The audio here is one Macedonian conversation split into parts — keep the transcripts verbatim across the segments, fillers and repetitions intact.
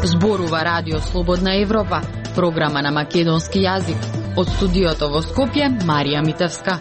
Зборува Радио Слободна Европа, програма на македонски јазик. Од студиото во Скопје, Марија Митевска.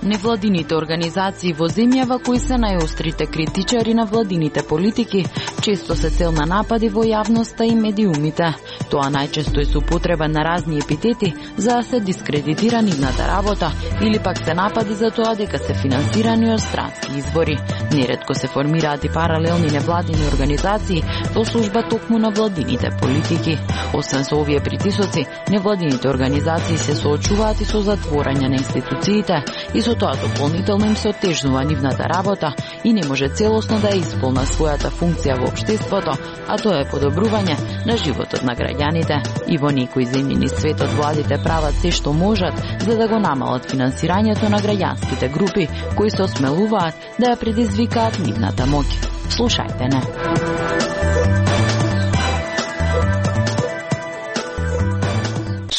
Невладините организации во земјава кои се најострите критичари на владините политики, често се цел на напади во јавноста и медиумите. Тоа најчесто е со употреба на разни епитети за да се дискредитира нивната работа или пак се напади за тоа дека се финансирани од странски извори. Неретко се формираат и паралелни невладини организации во служба токму на владините политики. Освен со овие притисоци, невладините организации се соочуваат и со затворање на институциите и со тоа дополнително им се отежнува нивната работа и не може целосно да ја исполна својата функција во општеството, а тоа е подобрување на животот на граѓаните. И во некои земји низ светот владите прават се што можат за да го намалат финансирањето на граѓанските групи кои се осмелуваат да ја предизвикаат нивната моќ. Слушајте не.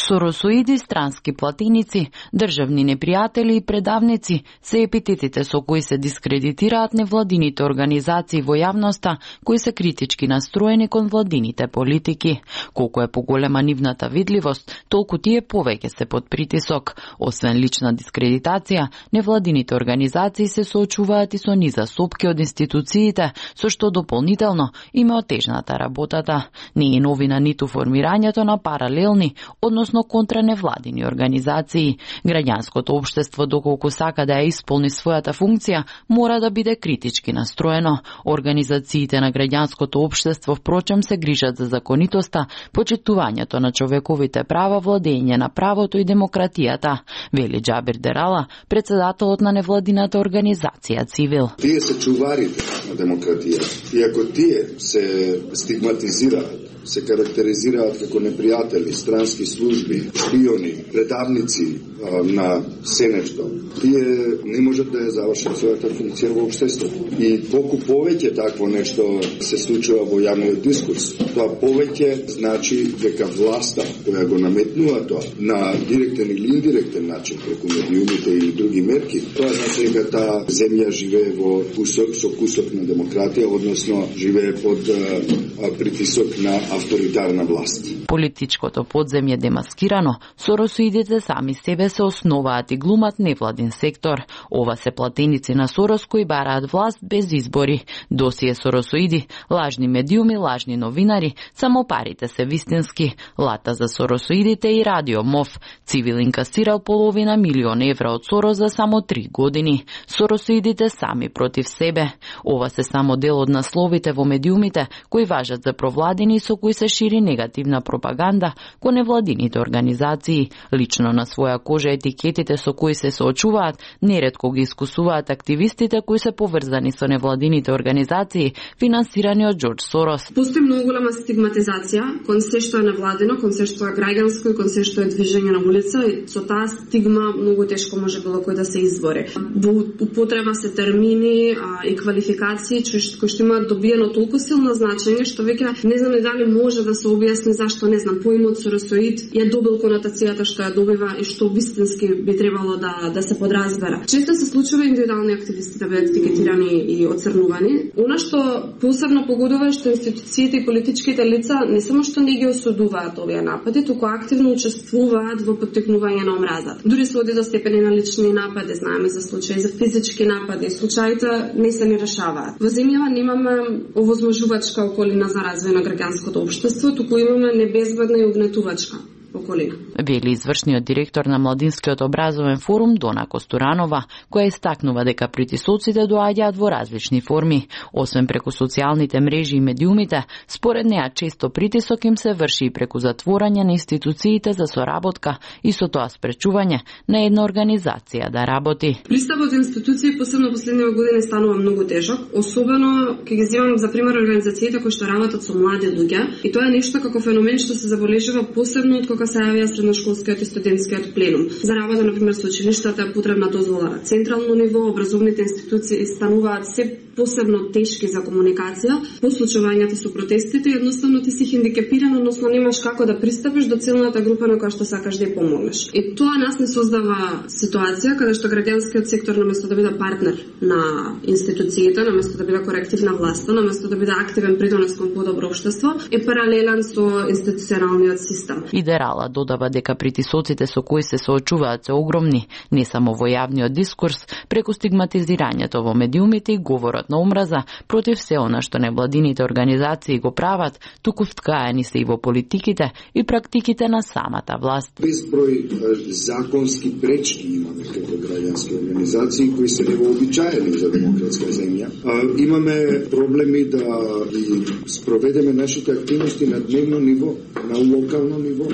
Соросоиди, странски платеници, државни непријатели и предавници се епитетите со кои се дискредитираат невладините организации во јавноста кои се критички настроени кон владините политики. Колку е поголема нивната видливост, толку тие повеќе се под притисок. Освен лична дискредитација, невладините организации се соочуваат и со низа сопки од институциите, со што дополнително им е отежната работата. Не е новина ниту формирањето на паралелни, односно контра невладини организации. Граѓанското општество, доколку сака да ја исполни својата функција, мора да биде критички настроено. Организациите на граѓанското општество впрочем се грижат за законитоста, почитувањето на човековите права, владење на правото и демократијата, вели Џабир Дерала, председателот на невладината организација Цивил. Тие се чуварите на демократијата. И ако тие се стигматизираат, се карактеризираат како непријатели, странски служби, шпиони, предавници а, на се нешто, тие не можат да ја завршат својата функција во општеството. И колку повеќе такво нешто се случува во јавниот дискурс, тоа повеќе значи дека власта која го наметнува тоа на директен или индиректен начин преку медиумите и други мерки, тоа значи дека таа земја живее во кусок со кусок на демократија, односно живее под а, притисок на авторитарна власт. Политичкото подземје демаскирано, соросоидите сами себе се основаат и глумат невладин сектор. Ова се платеници на Сорос кои бараат власт без избори. Досие соросоиди, лажни медиуми, лажни новинари, само парите се вистински. Лата за соросоидите и Радио МОВ. Цивил инкасирал половина милион евра од Сорос за само три години. Соросоидите сами против себе. Ова се само дел од насловите во медиумите кои важат за провладени и со кои се шири негативна пропаганда кон невладините организации. Лично на своја кожа етикетите со кои се соочуваат неретко ги искусуваат активистите кои се поврзани со невладините организации финансирани од Џорџ Сорос. Постои многу голема стигматизација кон се што е невладино, кон се што е граѓанско и кон се што е движење на улица и со таа стигма многу тешко може било кој да се избори. Во употреба се термини а, и квалификации кои што имаат добиено толку силно значење што веќе не знам дали може да се објасни зашто, не знам, поимот соросоид ја добил конотацијата што ја добива и што вистински би требало да да се подразбера. Често се случува индивидуални активисти да бидат етикетирани и оцрнувани. Она што посебно погодува е што институциите и политичките лица не само што не ги осудуваат овие напади, туку активно учествуваат во поттикнување на омразата. Дури се оди до степени на лични напади, знаеме за случаи за физички напади, случаите не се ни решаваат. Во земјава немаме овозможувачка околина за развој на граѓанското општество, туку имаме небезбедна и угнетувачка околина. Вели извршниот директор на Младинскиот образовен форум Дона Костуранова, која истакнува дека притисоците доаѓаат во различни форми. Освен преку социјалните мрежи и медиумите, според неа често притисок им се врши и преку затворање на институциите за соработка и со тоа спречување на една организација да работи. Пристапот до институции посебно последниве години станува многу тежок, особено кога ги земам за пример организациите кои што работат со млади луѓе, и тоа е нешто како феномен што се забележува посебно од кога кога се јавија средношколскиот и студентскиот пленум. За работа на пример со училиштата е потребна дозвола на централно ниво, образовните институции стануваат се посебно тешки за комуникација, по случувањата со протестите, едноставно ти си хендикепиран, односно немаш како да пристапиш до целната група на која што сакаш да ја помогнеш. И тоа нас не создава ситуација каде што граѓанскиот сектор наместо да биде партнер на институциите, наместо да биде коректив на власта, наместо да биде активен придонес кон подобро општество, е паралелен со институционалниот систем. Идерала додава дека притисоците со кои се соочуваат се огромни, не само во јавниот дискурс, преку стигматизирањето во медиумите и говорот на омраза против се она што невладините организации го прават, туку вткаени се и во политиките и практиките на самата власт. Безброј законски пречки имаме како граѓански организации кои се невообичаени за демократска земја. А, имаме проблеми да ги спроведеме нашите активности на дневно ниво, на локално ниво,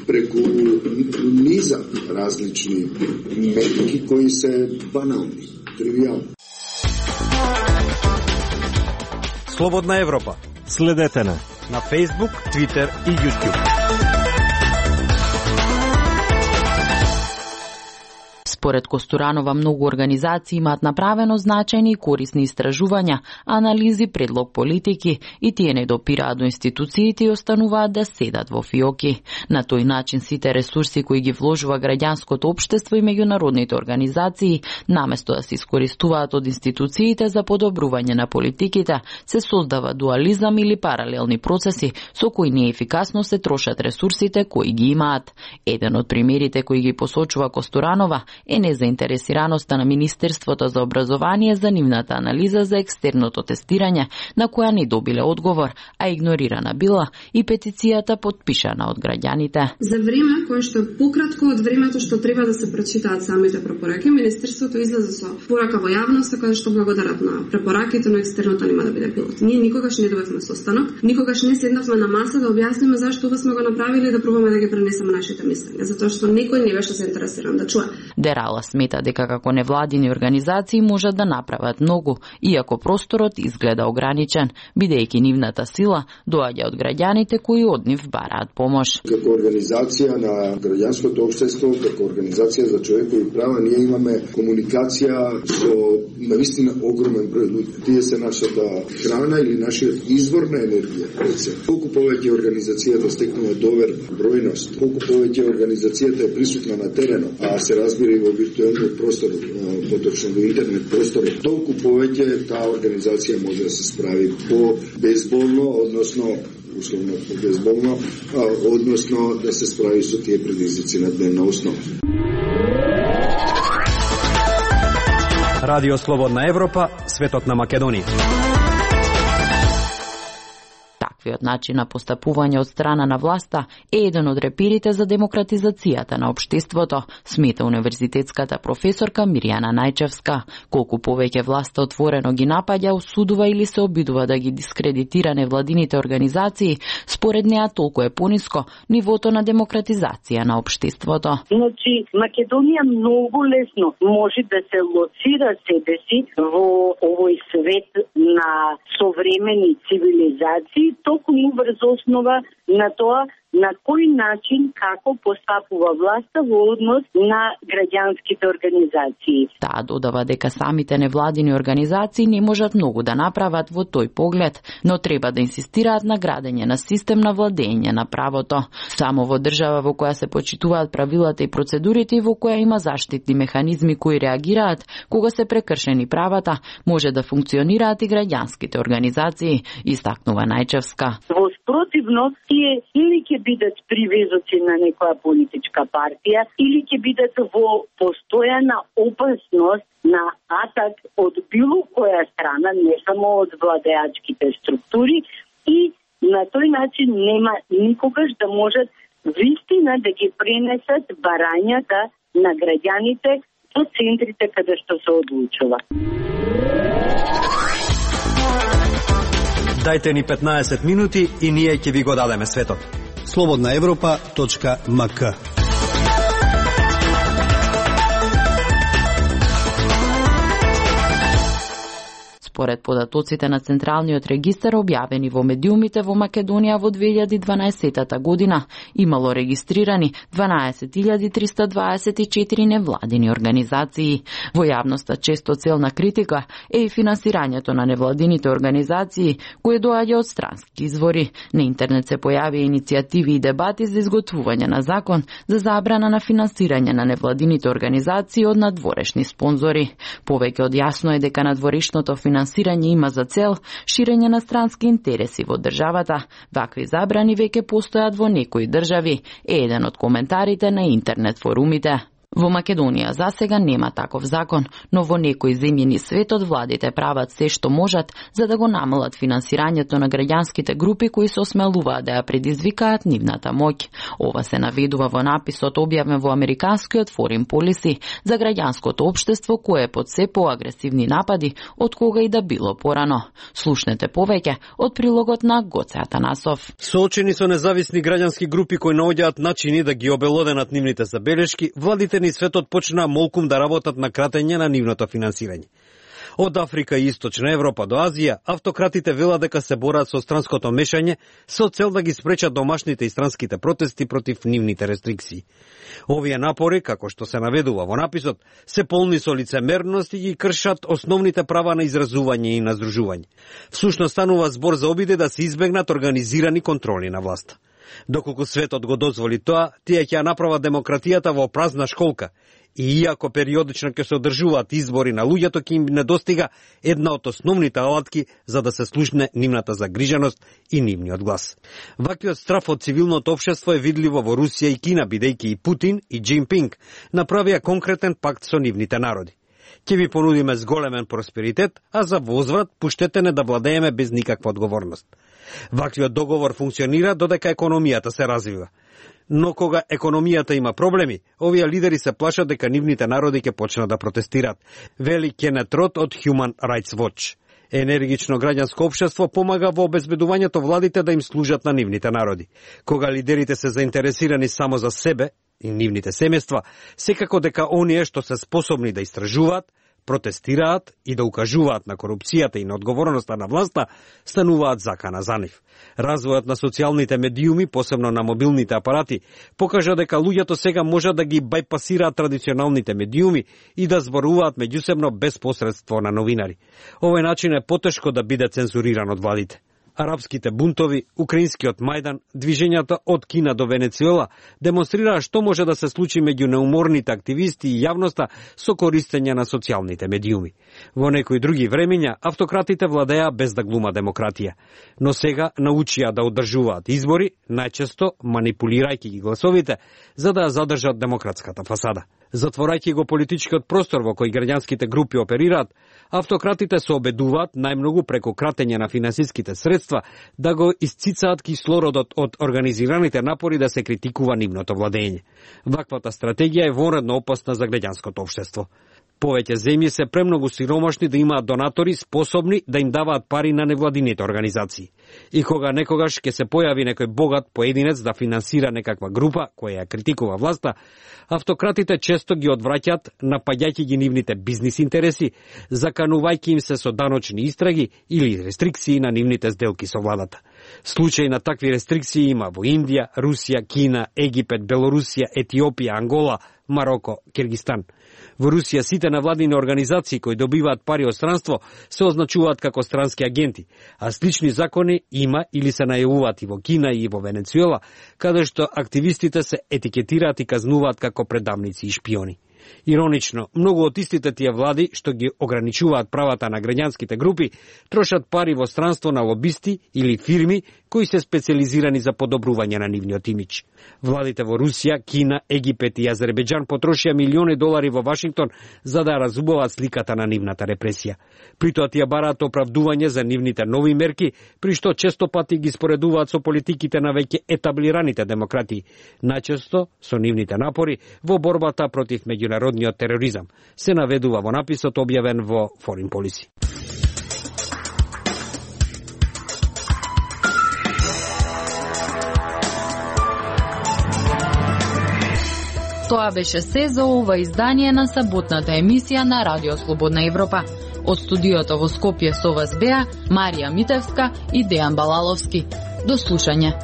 преку низа различни методи кои се банални, тривијални. Слободна Европа. Следете на на Facebook, Twitter и YouTube. Според Костуранова, многу организации имаат направено значајни и корисни истражувања, анализи, предлог политики и тие не допираат до институциите и остануваат да седат во фиоки. На тој начин сите ресурси кои ги вложува граѓанското општество и меѓународните организации, наместо да се искористуваат од институциите за подобрување на политиките, се создава дуализам или паралелни процеси со кои неефикасно се трошат ресурсите кои ги имаат. Еден од примерите кои ги посочува Костуранова е незаинтересираноста на Министерството за образование за нивната анализа за екстерното тестирање, на која не добиле одговор, а игнорирана била и петицијата подпишана од граѓаните. За време кое што е пократко од времето што треба да се прочитаат самите препораки, Министерството излезе со порака во јавноста каде што благодарат на препораките, но екстерното нема да биде пилот. Ние никогаш не добивме состанок, никогаш не седнавме на маса да објасниме зашто ова сме го направиле и да пробаме да ги пренесеме нашите мислења, затоа што некој не беше заинтересиран да чуе. Дерала смета дека како невладини организации можат да направат многу, иако просторот изгледа ограничен, бидејќи нивната сила доаѓа од граѓаните кои од нив бараат помош. Како организација на граѓанското општество, како организација за човекови права, ние имаме комуникација со навистина огромен број луѓе. Тие се нашата храна или нашиот извор на енергија. Колку повеќе организацијата стекнува доверба, бројност, колку повеќе организацијата е присутна на теренот, а се разбира и во виртуелниот простор, поточно во интернет простор, толку повеќе таа организација може да се справи по безболно, односно условно по безболно, односно да се справи со тие предизвици на дневна основа. Радио Слободна Европа, светот на Македонија. Таквиот начин на постапување од страна на власта е еден од репирите за демократизацијата на општеството, смета универзитетската професорка Мирјана Најчевска. Колку повеќе власта отворено ги напаѓа, осудува или се обидува да ги дискредитира невладините организации, според неа толку е пониско нивото на демократизација на општеството. Значи, Македонија многу лесно може да се лоцира себе си во овој свет на современи цивилизации, токму врз основа на тоа на кој начин, како постапува власта во однос на граѓанските организации. Таа додава дека самите невладини организации не можат многу да направат во тој поглед, но треба да инсистираат на градење на систем на владење на правото. Само во држава во која се почитуваат правилата и процедурите и во која има заштитни механизми кои реагираат кога се прекршени правата, може да функционираат и граѓанските организации, истакнува Најчевска. Во спротивно, тие или ќе бидат привезоци на некоја политичка партија, или ќе бидат во постојана опасност на атак од било која страна, не само од владеачките структури, и на тој начин нема никогаш да можат вистина да ги пренесат барањата на граѓаните до центрите каде што се одлучува. Дајте ни петнаесет минути и ние ќе ви го дадеме светот. слободна европа точка ем ка. Според податоците на Централниот регистар објавени во медиумите во Македонија во две илјади дванаесетта година, имало регистрирани дванаесет илјади триста дваесет и четири невладини организации. Во јавноста често целна критика е и финансирањето на невладините организации, кои доаѓа од странски извори. На интернет се појави иницијативи и дебати за изготвување на закон за забрана на финансирање на невладините организации од надворешни спонзори. Повеќе од јасно е дека надворешното финансирање има за цел ширење на странски интереси во државата. Вакви забрани веќе постојат во некои држави, е еден од коментарите на интернет форумите. Во Македонија засега нема таков закон, но во некои земји низ светот владите прават се што можат за да го намалат финансирањето на граѓанските групи кои се осмелуваат да ја предизвикаат нивната моќ. Ова се наведува во написот објавен во американскиот Foreign Policy за граѓанското општество кое е под се поагресивни напади од кога и да било порано. Слушнете повеќе од прилогот на Гоце Атанасов. Соочени со независни граѓански групи кои наоѓаат начини да ги обелоденат нивните забелешки, владите ни светот почнаа молкум да работат на кратење на нивното финансирање. Од Африка и Источна Европа до Азија, автократите велат дека се борат со странското мешање со цел да ги спречат домашните и странските протести против нивните рестрикции. Овие напори, како што се наведува во написот, се полни со лицемерност и ги кршат основните права на изразување и на здружување. Всушност станува збор за обиде да се избегнат организирани контроли на власта. Доколку светот го дозволи тоа, тие ќе ја направат демократијата во празна школка. И иако периодично ќе се одржуваат избори на луѓето, ќе им недостига една од основните алатки за да се слушне нивната загриженост и нивниот глас. Ваквиот страф од цивилното општество е видливо во Русија и Кина, бидејќи и Путин и Джинпинг направија конкретен пакт со нивните народи. Ќе ви понудиме зголемен просперитет, а за возврат пуштете не да владееме без никаква одговорност. Ваквиот договор функционира додека економијата се развива. Но кога економијата има проблеми, овие лидери се плашат дека нивните народи ќе почнат да протестираат, вели Кенет Рот од Human Rights Watch. Енергично граѓанско општество помага во обезбедувањето владите да им служат на нивните народи. Кога лидерите се заинтересирани само за себе и нивните семејства, секако дека оние што се способни да истражуваат, протестираат и да укажуваат на корупцијата и на одговорноста на власта, стануваат закана за нив. Развојот на социјалните медиуми, посебно на мобилните апарати, покажа дека луѓето сега можат да ги бајпасираат традиционалните медиуми и да зборуваат меѓусебно без посредство на новинари. Овој начин е потешко да биде цензуриран од владите. Арапските бунтови, украинскиот Мајдан, движењата од Кина до Венецуела демонстрираа што може да се случи меѓу неуморните активисти и јавноста со користење на социјалните медиуми. Во некои други времења автократите владеа без да глума демократија, но сега научија да одржуваат избори, најчесто манипулирајќи ги гласовите, за да ја задржат демократската фасада. Затворајќи го политичкиот простор во кој граѓанските групи оперираат, автократите се обедуваат најмногу преку кратење на финансиските средства да го исцицаат кислородот од организираните напори да се критикува нивното владење. Ваквата стратегија е вонредно опасна за граѓанското општество. Повеќе земји се премногу сиромашни да имаат донатори способни да им даваат пари на невладините организации. И кога некогаш ќе се појави некој богат поединец да финансира некаква група која ја критикува власта, автократите често ги одвраќаат, напаѓајќи ги нивните бизнис интереси, заканувајќи им се со даночни истраги или рестрикции на нивните сделки со владата. Случаи на такви рестрикции има во Индија, Русија, Кина, Египет, Белорусија, Етиопија, Ангола, Мароко, Киргистан. Во Русија сите невладини организации кои добиваат пари од странство се означуваат како странски агенти, а слични закони има или се најавуваат и во Кина и во Венецуела, каде што активистите се етикетираат и казнуваат како предавници и шпиони. Иронично, многу од истите тие влади што ги ограничуваат правата на граѓанските групи, трошат пари во странство на лобисти или фирми кои се специализирани за подобрување на нивниот имидж. Владите во Русија, Кина, Египет и Азербејџан потрошија милиони долари во Вашингтон за да разубават сликата на нивната репресија. При тоа тие бараат оправдување за нивните нови мерки, при што често пати ги споредуваат со политиките на веќе етаблираните демократии, најчесто со нивните напори во борбата против меѓународниот тероризам, се наведува во написот објавен во Foreign Policy. Тоа беше се за ова издание на саботната емисија на Радио Слободна Европа. Од студиото во Скопје со вас беа Марија Митевска и Дејан Балаловски. До слушање.